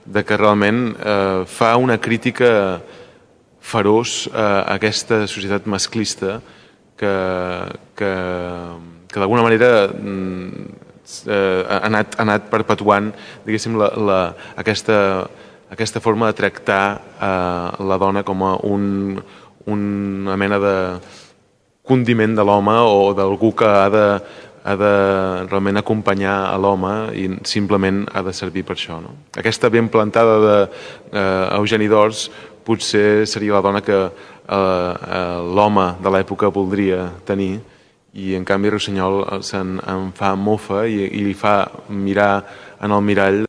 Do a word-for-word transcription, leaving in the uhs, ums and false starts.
de que realment eh, fa una crítica feroç a aquesta societat masclista que, que, que d'alguna manera eh, ha, anat, ha anat perpetuant, diguéssim, la, la, aquesta, aquesta forma de tractar eh, la dona com a un, una mena de condiment de l'home o d'algú que ha de, ha de realment acompanyar a l'home i simplement ha de servir per això. No? Aquesta ben plantada d'Eugeni d'Ors potser seria la dona que eh, eh, l'home de l'època voldria tenir i en canvi Rossinyol se'n en fa mofa i, i li fa mirar en el mirall